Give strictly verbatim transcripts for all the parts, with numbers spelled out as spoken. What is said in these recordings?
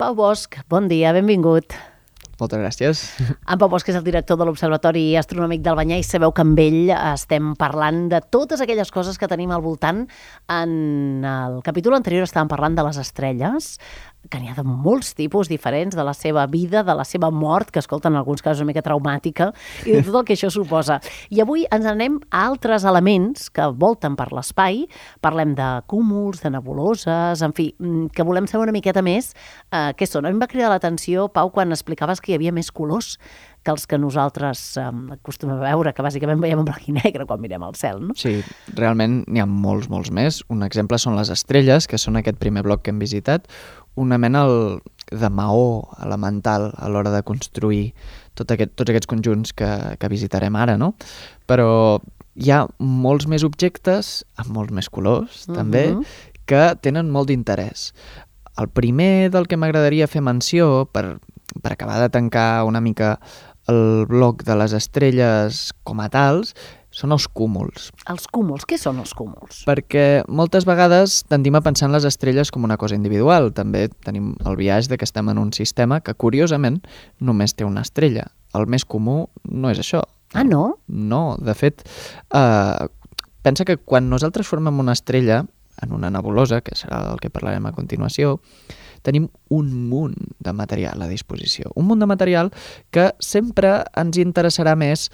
Pau Bosch, bon dia, benvingut. Moltes gràcies. En Pau Bosch és el director de l'Observatori Astronòmic d'Albanyà i sabeu que amb ell estem parlant de totes aquelles coses que tenim al voltant. En el capítol anterior estàvem parlant de les estrelles, que n'hi ha de molts tipus diferents, de la seva vida, de la seva mort, que escolta, en alguns casos una mica traumàtica, i de tot el que això suposa. I avui ens anem a altres elements que volten per l'espai. Parlem de cúmuls, de nebuloses, en fi, que volem saber una miqueta més eh, què són. A mi em va cridar l'atenció, Pau, quan explicaves que hi havia més colors que els que nosaltres eh, acostumem a veure, que bàsicament veiem en blanc i negre quan mirem al cel, no? Sí, realment n'hi ha molts, molts més. Un exemple són les estrelles, que són aquest primer bloc que hem visitat, una mena de maó elemental a l'hora de construir tot aquest, tots aquests conjunts que, que visitarem ara, no? Però hi ha molts més objectes, amb molts més colors, uh-huh. també, que tenen molt d'interès. El primer del que m'agradaria fer menció, per, per acabar de tancar una mica el bloc de les estrelles com a tals, són els cúmuls. Els cúmuls, què són els cúmuls? Perquè moltes vegades tendim a pensar en les estrelles com una cosa individual. També tenim el biaix de que estem en un sistema que, curiosament, només té una estrella. El més comú no és això. Ah, no? No, de fet, eh, pensa que quan nosaltres formem una estrella en una nebulosa, que serà el que parlarem a continuació, tenim un munt de material a disposició. Un munt de material que sempre ens interessarà més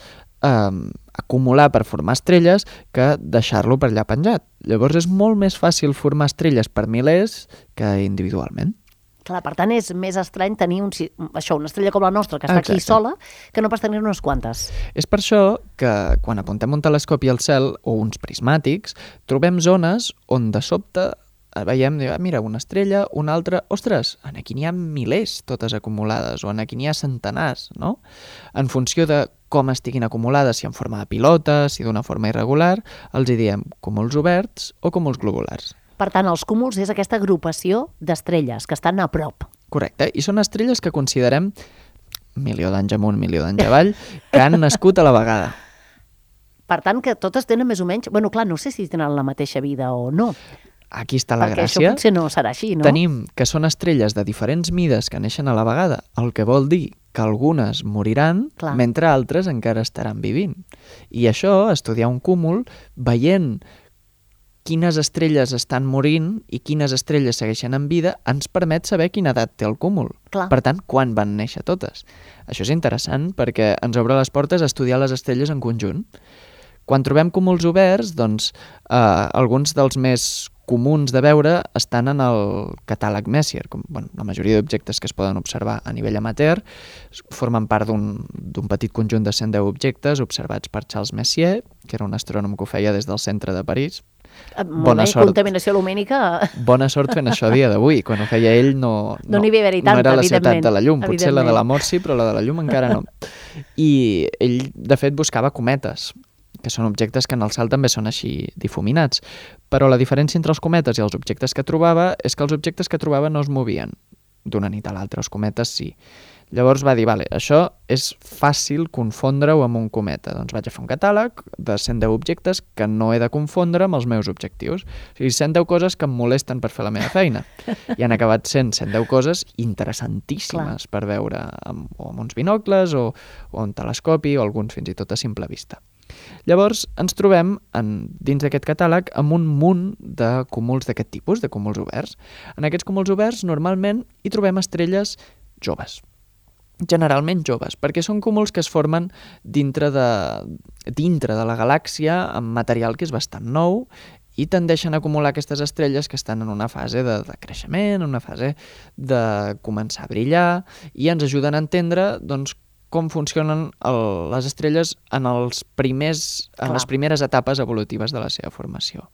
eh, acumular per formar estrelles que deixar-lo per allà penjat. Llavors és molt més fàcil formar estrelles per milers que individualment. Clar, per tant, és més estrany tenir un, això, una estrella com la nostra, que està Exacte. Aquí sola, que no pas tenir unes quantes. És per això que quan apuntem un telescopi al cel o uns prismàtics, trobem zones on de sobte veiem, ah, mira, una estrella, una altra, ostres, aquí n'hi ha milers totes acumulades, o aquí n'hi ha centenars, no? En funció de com estiguin acumulades, si en forma de pilota, si d'una forma irregular, els hi diem cúmuls oberts o cúmuls globulars. Per tant, els cúmuls és aquesta agrupació d'estrelles que estan a prop. Correcte, i són estrelles que considerem milió d'anys amunt, milió d'anys avall, que han nascut a la vegada. Per tant, que totes tenen més o menys... Bueno, clar, no sé si tenen la mateixa vida o no. Aquí està la Perquè gràcia. Perquè això potser no serà així, no? Tenim que són estrelles de diferents mides que neixen a la vegada, el que vol dir que algunes moriran, Clar. mentre altres encara estaran vivint. I això, estudiar un cúmul, veient quines estrelles estan morint i quines estrelles segueixen en vida, ens permet saber quina edat té el cúmul. Clar. Per tant, quan van néixer totes. Això és interessant perquè ens obre les portes a estudiar les estrelles en conjunt. Quan trobem cúmuls oberts, doncs, eh, alguns dels més comuns de veure estan en el catàleg Messier. Com, bueno, la majoria d'objectes que es poden observar a nivell amateur formen part d'un d'un petit conjunt de cent deu objectes observats per Charles Messier, que era un astrònom que ho feia des del centre de París. Bona bé, sort. Contaminació lumínica... Bona sort fent això a dia d'avui. Quan ho feia ell no, no, no, n'hi havia tanta, no era la ciutat de la llum. Potser la de la mort mort sí, però la de la llum encara no. I ell, de fet, buscava cometes, que són objectes que en el cel també són així difuminats. Però la diferència entre els cometes i els objectes que trobava és que els objectes que trobava no es movien d'una nit a l'altra, els cometes sí. Llavors va dir, vale, això és fàcil confondre-ho amb un cometa. Doncs vaig a fer un catàleg de cent deu objectes que no he de confondre amb els meus objectius. O sigui, cent deu coses que em molesten per fer la meva feina. I han acabat sent cent deu coses interessantíssimes Clar. Per veure amb, o amb uns binocles o, o un telescopi o alguns fins i tot a simple vista. Llavors ens trobem en, dins d'aquest catàleg amb un munt de cúmuls d'aquest tipus, de cúmuls oberts. En aquests cúmuls oberts normalment hi trobem estrelles joves. Generalment joves, perquè són cúmuls que es formen dintre de, dintre de la galàxia amb material que és bastant nou i tendeixen a acumular aquestes estrelles que estan en una fase de, de creixement, en una fase de començar a brillar i ens ajuden a entendre doncs, com funcionen el, les estrelles en, els primers, en les primeres etapes evolutives de la seva formació.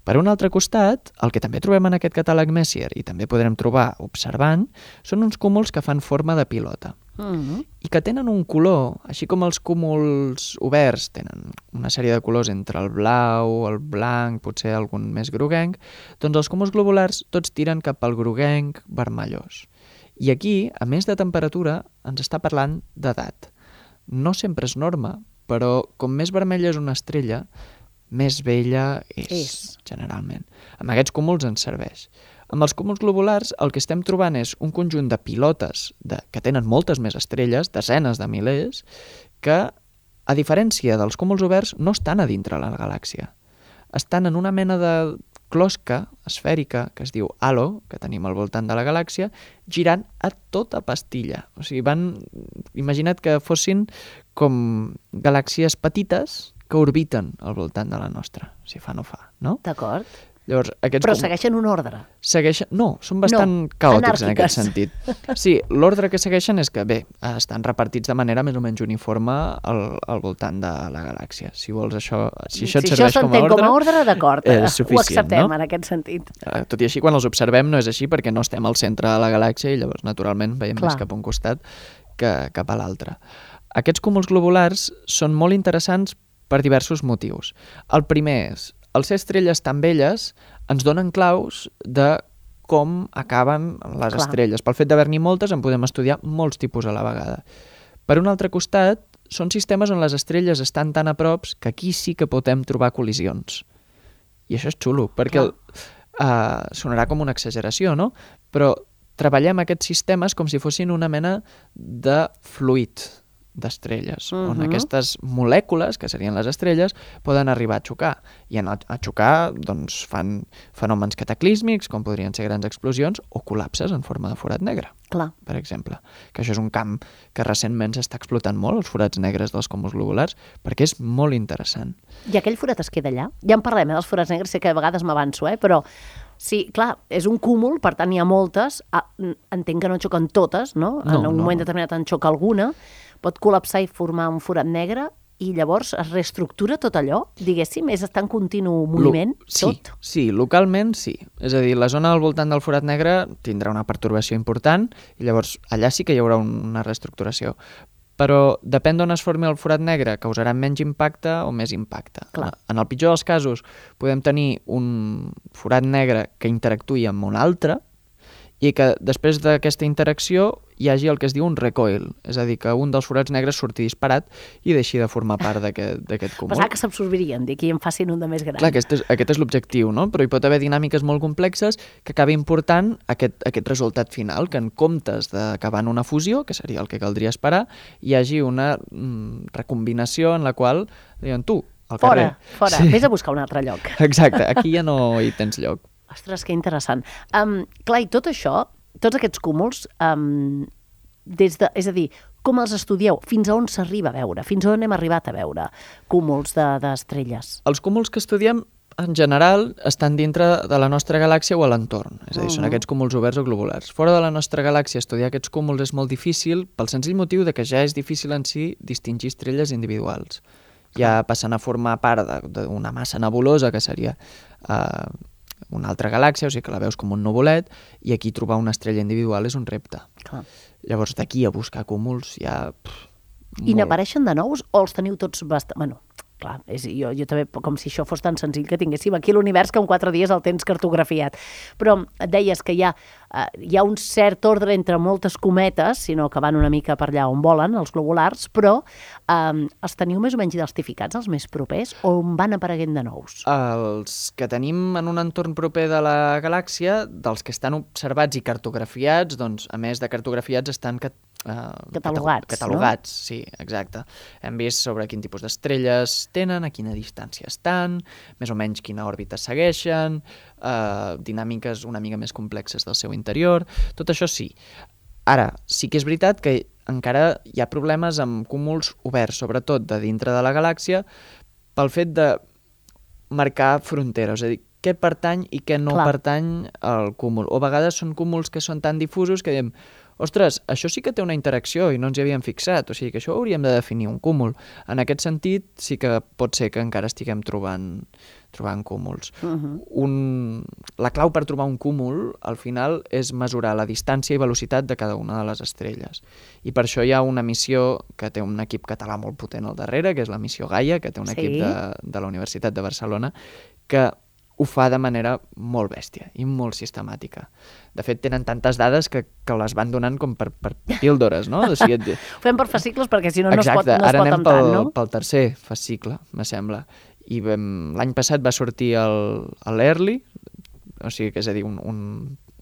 Per un altre costat, el que també trobem en aquest catàleg Messier i també podrem trobar observant, són uns cúmuls que fan forma de pilota uh-huh. i que tenen un color, així com els cúmuls oberts tenen una sèrie de colors entre el blau, el blanc, potser algun més groguenc, doncs els cúmuls globulars tots tiren cap al groguenc vermellós. I aquí, a més de temperatura, ens està parlant d'edat. No sempre és norma, però com més vermella és una estrella, més vella és, és, generalment. Amb aquests cúmuls ens serveix. Amb els cúmuls globulars el que estem trobant és un conjunt de pilotes de, que tenen moltes més estrelles, desenes de milers, que, a diferència dels cúmuls oberts, no estan a dintre la galàxia. Estan en una mena de closca esfèrica que es diu halo, que tenim al voltant de la galàxia, girant a tota pastilla. O sigui, van... Imagina't que fossin com galàxies petites que orbiten al voltant de la nostra, si fa no fa, no? D'acord. Llavors, aquests Però com... segueixen un ordre. Segueixen... No, són bastant no, caòtics en aquest anàrquiques. sentit. Sí, l'ordre que segueixen és que, bé, estan repartits de manera més o menys uniforme al, al voltant de la galàxia. Si vols això... Si això et si serveix això com a ordre... com a ordre, d'acord. És suficient, ho acceptem, no? en aquest sentit. Tot i així, quan els observem no és així perquè no estem al centre de la galàxia i llavors, naturalment, veiem Clar. més cap a un costat que cap a l'altre. Aquests cúmuls globulars són molt interessants per diversos motius. El primer és, al ser estrelles tan velles, ens donen claus de com acaben les Clar. estrelles. Pel fet d'haver-n'hi moltes en podem estudiar molts tipus a la vegada. Per un altre costat, són sistemes on les estrelles estan tan a prop que aquí sí que podem trobar col·lisions. I això és xulo, perquè el, uh, sonarà com una exageració, no? Però treballem aquests sistemes com si fossin una mena de fluid d'estrelles, uh-huh. on aquestes molècules, que serien les estrelles, poden arribar a xocar. I en, a xocar doncs, fan fenòmens cataclísmics, com podrien ser grans explosions, o col·lapses en forma de forat negre, Clar. per exemple. Que això és un camp que recentment s'està explotant molt, els forats negres dels cúmuls globulars, perquè és molt interessant. I aquell forat es queda allà? Ja en parlem, eh, dels forats negres, sé que a vegades m'avanço, eh, però... Sí, clar, és un cúmul, per tant hi ha moltes, ah, entenc que no xoquen totes, no? No, en un no. moment determinat en xoca alguna, pot col·lapsar i formar un forat negre i llavors es reestructura tot allò, diguéssim, és estar en continu moviment, Lo... sí, tot? Sí, localment sí. És a dir, la zona al voltant del forat negre tindrà una pertorbació important i llavors allà sí que hi haurà una reestructuració. Però depèn d'on es formi el forat negre, causarà menys impacte o més impacte. Clar. En el pitjor dels casos podem tenir un forat negre que interactuï amb un altre i que després d'aquesta interacció hi hagi el que es diu un recoil, és a dir, que un dels forats negres surti disparat i deixi de formar part d'aquest cúmul. Pensava que s'absorbirien, d'aquí en facin un de més gran. Clar, aquest és, aquest és l'objectiu, no? Però hi pot haver dinàmiques molt complexes que acabin portant aquest, aquest resultat final, que en comptes d'acabar en una fusió, que seria el que caldria esperar, hi hagi una mm, recombinació en la qual diuen tu, al fora, carrer. Fora, Sí. vés a buscar un altre lloc. Exacte, aquí ja no hi tens lloc. Ostres, que interessant. Um, clar, i tot això, tots aquests cúmuls, um, des de, és a dir, com els estudieu? Fins a on s'arriba a veure? Fins a on hem arribat a veure cúmuls d'estrelles? Els cúmuls que estudiem, en general, estan dintre de la nostra galàxia o a l'entorn. És a dir, Uh-huh. són aquests cúmuls oberts o globulars. Fora de la nostra galàxia, estudiar aquests cúmuls és molt difícil pel senzill motiu de que ja és difícil en si distingir estrelles individuals. Ja passen a formar part d'una massa nebulosa, que seria eh, una altra galàxia, o sigui que la veus com un nuvolet, i aquí trobar una estrella individual és un repte. Clar. Llavors, d'aquí a buscar cúmuls ja... Pff, I molt. n'apareixen de nous o els teniu tots bastant... Bueno, clar, és, jo, jo també, com si això fos tan senzill que tinguéssim aquí l'univers que en quatre dies el tens cartografiat. Però et deies que hi ha, uh, hi ha un cert ordre entre moltes cometes, sinó que van una mica per allà on volen, els globulars, però um, els teniu més o menys identificats, els més propers, o on van apareguent de nous? Els que tenim en un entorn proper de la galàxia, dels que estan observats i cartografiats, doncs, a més de cartografiats, estan cat Uh, catalogats, catalogats, no? Sí, exacte. Hem vist sobre quin tipus d'estrelles tenen, a quina distància estan, més o menys quina òrbita segueixen, uh, dinàmiques una mica més complexes del seu interior, tot això sí. Ara, sí que és veritat que encara hi ha problemes amb cúmuls oberts, sobretot de dintre de la galàxia, pel fet de marcar fronteres, és a dir, què pertany i què no Clar. pertany al cúmul. O a vegades són cúmuls que són tan difusos que diem, ostres, això sí que té una interacció i no ens hi havíem fixat, o sigui que això ho hauríem de definir un cúmul. En aquest sentit, sí que pot ser que encara estiguem trobant, trobant cúmuls. Uh-huh. Un... La clau per trobar un cúmul, al final, és mesurar la distància i velocitat de cada una de les estrelles. I per això hi ha una missió que té un equip català molt potent al darrere, que és la missió Gaia, que té un Sí. equip de, de la Universitat de Barcelona, que ho fa de manera molt bèstia i molt sistemàtica. De fet, tenen tantes dades que, que les van donant com per, per píldores, no? O sigui, et... Ho fem per fascicles perquè si no no es pot, Exacte, no es ara pot anem amb pel, tant, no? pel tercer fascicle, me sembla. I vam, l'any passat va sortir el, l'Early, o sigui que és a dir, un, un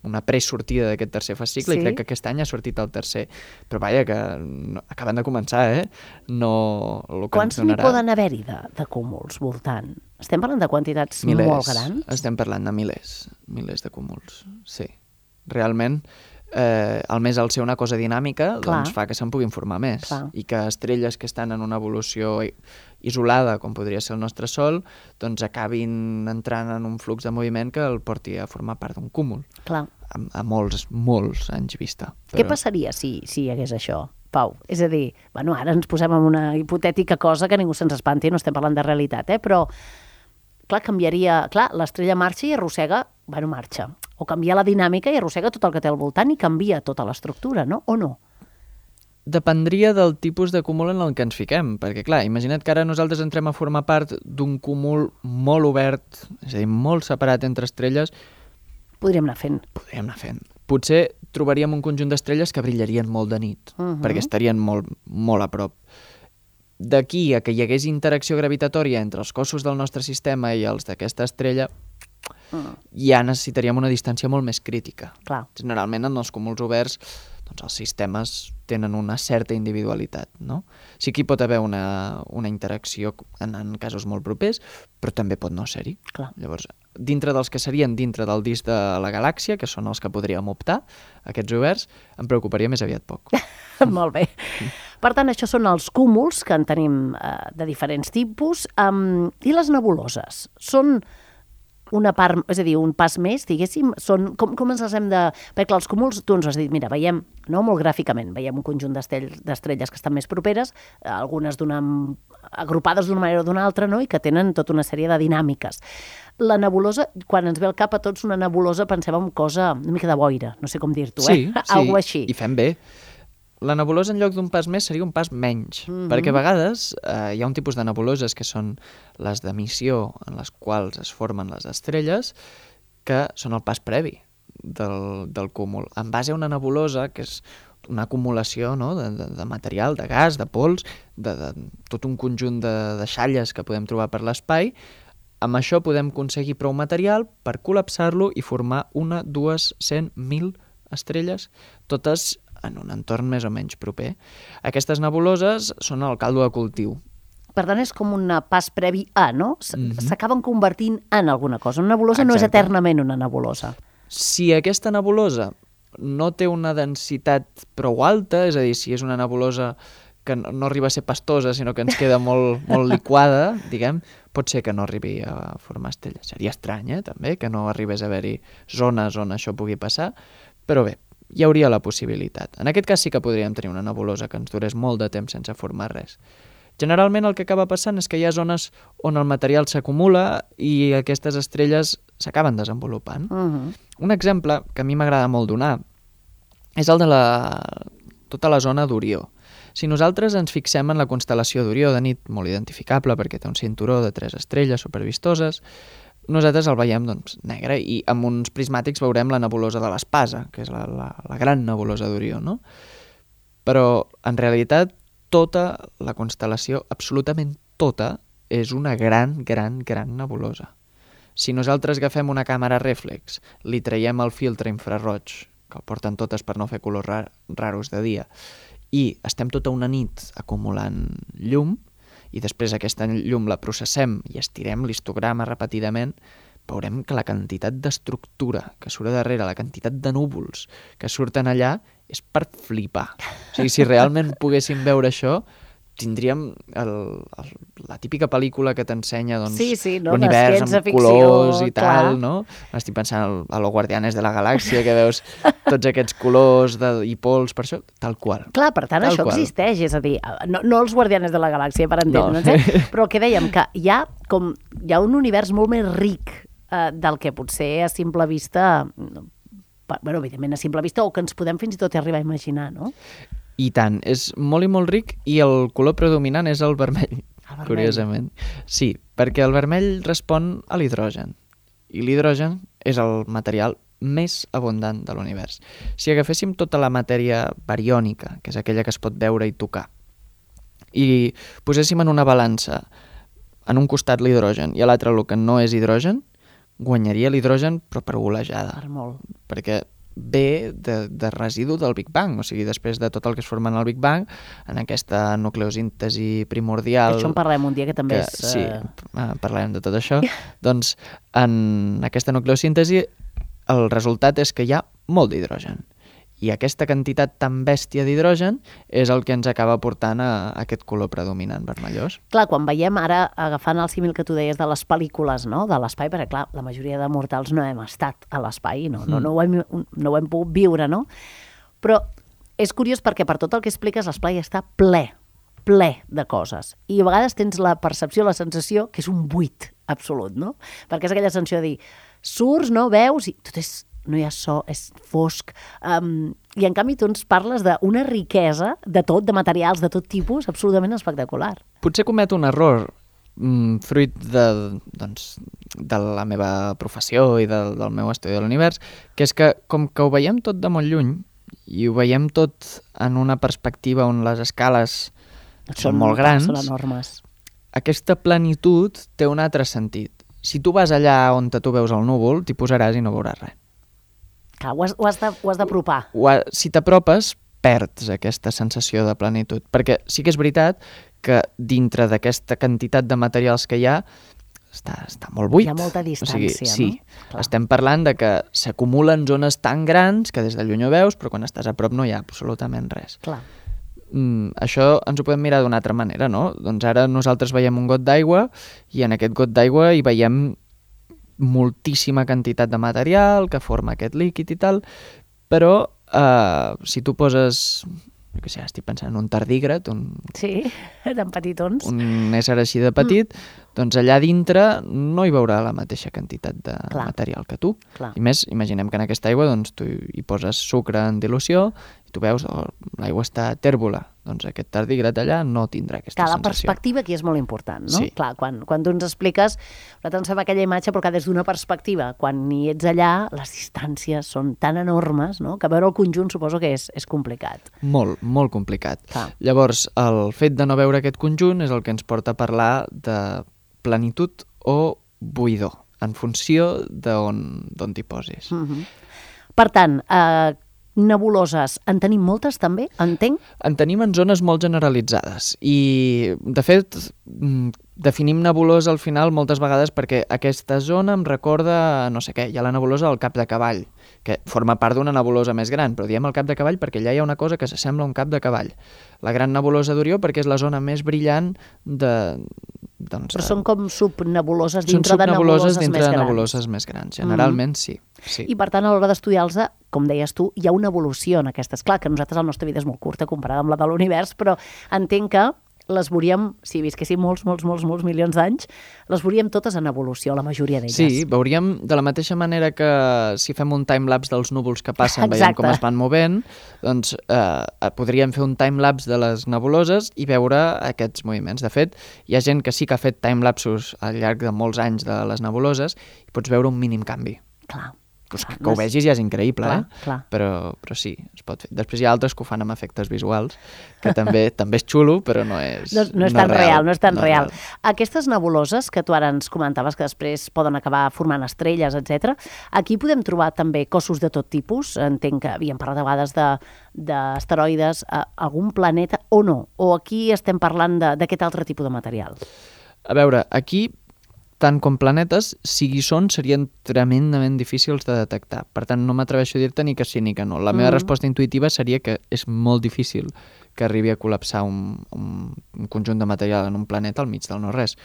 una presortida d'aquest tercer fas cicle, Sí. i crec que aquest any ha sortit el tercer. Però vaja, que no, acaben de començar, eh? No, el que Quants ens n'hi donarà... poden haver-hi de, de cúmuls voltant? Estem parlant de quantitats milers. molt grans? Estem parlant de milers, milers de cúmuls, sí. Realment, eh, el més al ser una cosa dinàmica, Clar. doncs fa que se'n puguin formar més. Clar. I que estrelles que estan en una evolució i- isolada, com podria ser el nostre Sol, doncs acabin entrant en un flux de moviment que el porti a formar part d'un cúmul, Clar. a, a molts, molts anys vista. Què passaria si, si hi hagués això, Pau? És a dir, bueno, ara ens posem en una hipotètica cosa que ningú se'ns espanti, no estem parlant de realitat, eh? Però, clar, canviaria... Clar, l'estrella marxa i arrossega... Bueno, marxa. O canvia la dinàmica i arrossega tot el que té al voltant i canvia tota l'estructura, no? O no? Dependria del tipus de cúmul en el que ens fiquem, perquè clar, imagina't que ara nosaltres entrem a formar part d'un cúmul molt obert, és a dir, molt separat entre estrelles, Podríem anar fent. podríem anar fent. Potser trobaríem un conjunt d'estrelles que brillarien molt de nit, Mhm. perquè estarien molt, molt a prop. D'aquí a que hi hagués interacció gravitatòria entre els cossos del nostre sistema i els d'aquesta estrella, Mm, ja necessitaríem una distància molt més crítica. clar. Generalment en els cúmuls oberts doncs els sistemes tenen una certa individualitat, no? Sí que hi pot haver una, una interacció en, en casos molt propers, però també pot no ser-hi. Clar. Llavors, dintre dels que serien dintre del disc de la galàxia, que són els que podríem optar, aquests oberts, em preocuparia més aviat poc. Molt bé. Per tant, això són els cúmuls, que en tenim eh, de diferents tipus. Um, I les nebuloses? Són una part, és a dir, un pas més, diguéssim, són, com, com ens les hem de... Perquè clar, els cúmuls, tu ens has dit, mira, veiem, no molt gràficament, veiem un conjunt d'estell- d'estrelles que estan més properes, eh, algunes d'una, agrupades d'una manera o d'una altra, no?, i que tenen tota una sèrie de dinàmiques. La nebulosa, quan ens ve al cap a tots una nebulosa, pensem en cosa, una mica de boira, no sé com dir-t'ho, Sí, eh? sí, Algo així. i fem bé. La nebulosa en lloc d'un pas més seria un pas menys, Mhm. perquè a vegades eh, hi ha un tipus de nebuloses que són les d'emissió en les quals es formen les estrelles, que són el pas previ del, del cúmul. En base a una nebulosa, que és una acumulació, no?, de, de, de material, de gas, de pols, de, de tot un conjunt de, de xalles que podem trobar per l'espai, amb això podem aconseguir prou material per col·lapsar-lo i formar una, dues, cent, mil estrelles, totes en un entorn més o menys proper. Aquestes nebuloses són el caldo de cultiu. Per tant, és com un pas previ a, no? S- Mhm. S'acaben convertint en alguna cosa. Una nebulosa no és Exacte. eternament una nebulosa. Si aquesta nebulosa no té una densitat prou alta, és a dir, si és una nebulosa que no, no arriba a ser pastosa, sinó que ens queda molt, molt liquada, diguem, pot ser que no arribi a formar estrelles. Seria estrany, eh, també, que no arribés a haver-hi zones on això pugui passar, però bé, hi hauria la possibilitat. En aquest cas sí que podríem tenir una nebulosa que ens durés molt de temps sense formar res. Generalment el que acaba passant és que hi ha zones on el material s'acumula i aquestes estrelles s'acaben desenvolupant. Uh -huh. Un exemple que a mi m'agrada molt donar és el de la... tota la zona d'Orió. Si nosaltres ens fixem en la constel·lació d'Orió de nit, molt identificable perquè té un cinturó de tres estrelles supervistoses, nosaltres el veiem doncs, negre i amb uns prismàtics veurem la nebulosa de l'Espasa, que és la, la, la gran nebulosa d'Orió, no? Però en realitat tota la constel·lació, absolutament tota, és una gran, gran, gran nebulosa. Si nosaltres agafem una càmera rèflex, li traiem el filtre infraroig, que el porten totes per no fer colors rar raros de dia, i estem tota una nit acumulant llum, i després aquesta llum la processem i estirem l'histograma repetidament, veurem que la quantitat d'estructura que surt a darrere, la quantitat de núvols que surten allà, és per flipar. O sigui, si realment poguéssim veure això, tindríem el, el, la típica pel·lícula que t'ensenya doncs, Sí, sí, no? l'univers De ciència amb ficció, colors i tal, clar. no? Estic pensant a los Guardianes de la Galàxia, que veus tots aquests colors de, i pols, per això, tal qual. Clar, per tant, Tal això qual. existeix, és a dir, no, no els guardianes de la galàxia, per entendre'ns, No. eh? Però el que dèiem, que hi ha, com, hi ha un univers molt més ric eh, del que potser a simple vista, no, pa- bueno, evidentment a simple vista, o que ens podem fins i tot arribar a imaginar, no? I tant, és molt i molt ric i el color predominant és el vermell, El vermell. curiosament. Sí, perquè el vermell respon a l'hidrogen i l'hidrogen és el material més abundant de l'univers. Si agaféssim tota la matèria bariònica, que és aquella que es pot veure i tocar, i poséssim en una balança en un costat l'hidrogen i a l'altre el que no és hidrogen, guanyaria l'hidrogen però per golejada. Per molt. Perquè ve de, de residu del Big Bang, o sigui, després de tot el que es forma en el Big Bang, en aquesta nucleosíntesi primordial... Això en parlem un dia, que també que, és... Sí, uh... parlarem de tot això. Doncs en aquesta nucleosíntesi el resultat és que hi ha molt d'hidrogen. I aquesta quantitat tan bèstia d'hidrogen és el que ens acaba portant a, a aquest color predominant vermellós. Clar, quan veiem ara, agafant el símil que tu deies de les pel·lícules, no?, de l'espai, perquè clar, la majoria de mortals no hem estat a l'espai, no, no, no, ho hem, no ho hem pogut viure, no? Però és curiós perquè per tot el que expliques l'espai està ple, ple de coses. I a vegades tens la percepció, la sensació que és un buit absolut, no? Perquè és aquella sensació de dir, surts, no, veus, i tot és... no hi ha so, és fosc, um, i en canvi tu ens parles d'una riquesa de tot, de materials de tot tipus, absolutament espectacular. Potser cometo un error mm, fruit de, doncs, de la meva professió i del, del meu estudi de l'univers, que és que com que ho veiem tot de molt lluny i ho veiem tot en una perspectiva on les escales són, són molt grans, són enormes. Aquesta plenitud té un altre sentit. Si tu vas allà on tu veus el núvol, t'hi posaràs i no veuràs res. Clar, ho has, ho has de, ho has d'apropar. Si t'apropes, perds aquesta sensació de plenitud. Perquè sí que és veritat que dintre d'aquesta quantitat de materials que hi ha, està, està molt buit. Hi ha molta distància, o sigui, sí, no? Clar. Estem parlant de que s'acumulen zones tan grans que des de lluny ho veus, però quan estàs a prop no hi ha absolutament res. Clar. Mm, això ens ho podem mirar d'una altra manera, no? Doncs ara nosaltres veiem un got d'aigua i en aquest got d'aigua hi veiem moltíssima quantitat de material que forma aquest líquid i tal, però eh, si tu poses, jo què sé, estic pensant en un tardígrad, un, sí, tan petitons, un ésser així de petit, mm. doncs allà dintre no hi veurà la mateixa quantitat de Clar. material que tu. Clar. I més, imaginem que en aquesta aigua doncs, tu hi poses sucre en dilució i tu veus, oh, l'aigua està tèrbola, doncs aquest tardígrad allà no tindrà aquesta Clar, sensació. La perspectiva aquí és molt important, no? Sí. Clar, quan, quan tu ens expliques, nosaltres ens fem aquella imatge, però que des d'una perspectiva, quan hi ets allà, les distàncies són tan enormes, no?, que veure el conjunt suposo que és, és complicat. Molt, molt complicat. Clar. Llavors, el fet de no veure aquest conjunt és el que ens porta a parlar de plenitud o buidor, en funció d'on t'hi posis. Mm-hmm. Per tant, eh, nebuloses, en tenim moltes també, entenc? En tenim en zones molt generalitzades i, de fet, definim nebulosa al final moltes vegades perquè aquesta zona em recorda, no sé què, hi ha la nebulosa del Cap de Cavall, que forma part d'una nebulosa més gran, però diem el Cap de Cavall perquè allà hi ha una cosa que s'assembla a un cap de cavall. La gran nebulosa d'Orió perquè és la zona més brillant de... Doncs, però són com subnebuloses dintre de nebuloses, nebuloses dintre més de grans. nebuloses més grans. Generalment, mm. sí, sí. I per tant, a l'hora d'estudiar-los, com deies tu, hi ha una evolució en aquestes. Clar, que nosaltres la nostra vida és molt curta comparada amb la de l'univers, però entenc que les veuríem, si visquéssim molts, molts, molts, molts milions d'anys, les veuríem totes en evolució, la majoria d'elles. Sí, veuríem de la mateixa manera que si fem un timelapse dels núvols que passen, Exacte. veiem com es van movent, doncs eh, podríem fer un timelapse de les nebuloses i veure aquests moviments. De fet, hi ha gent que sí que ha fet timelapsos al llarg de molts anys de les nebuloses i pots veure un mínim canvi. Clar. Pues que, que ho vegis ja és increïble, clar, eh? Clar. Però, però sí, es pot fer. Després hi ha altres que ho fan amb efectes visuals, que també també és xulo, però no és No, no és no tan real, real, no és tan no real. real. Aquestes nebuloses que tu ara ens comentaves que després poden acabar formant estrelles, etcètera, aquí podem trobar també cossos de tot tipus. Entenc que havíem parlat a vegades de d'asteroides, algun planeta o no? O aquí estem parlant d'aquest altre tipus de material? A veure, aquí tant com planetes, sigui són, serien tremendament difícils de detectar. Per tant, no m'atreveixo a dir-te ni que sí ni que no. La meva mm. resposta intuïtiva seria que és molt difícil que arribi a col·lapsar un, un, un conjunt de material en un planeta al mig del no-res.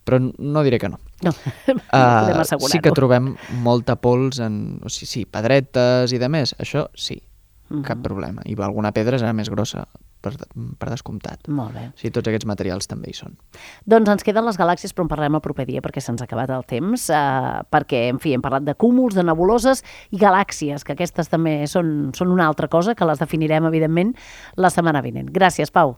Però no diré que no. No, no podem assegurar-ho. Uh, sí que trobem molta pols en... O sigui, sí, pedretes i de més. Això sí, mm-hmm. cap problema. I alguna pedra serà més grossa, per, per descomptat. Molt bé. O sigui, tots aquests materials també hi són. Doncs ens queden les galàxies, però en parlarem el proper dia perquè se'ns ha acabat el temps, eh, perquè, en fi, hem parlat de cúmuls, de nebuloses i galàxies, que aquestes també són, són una altra cosa, que les definirem, evidentment, la setmana vinent. Gràcies, Pau.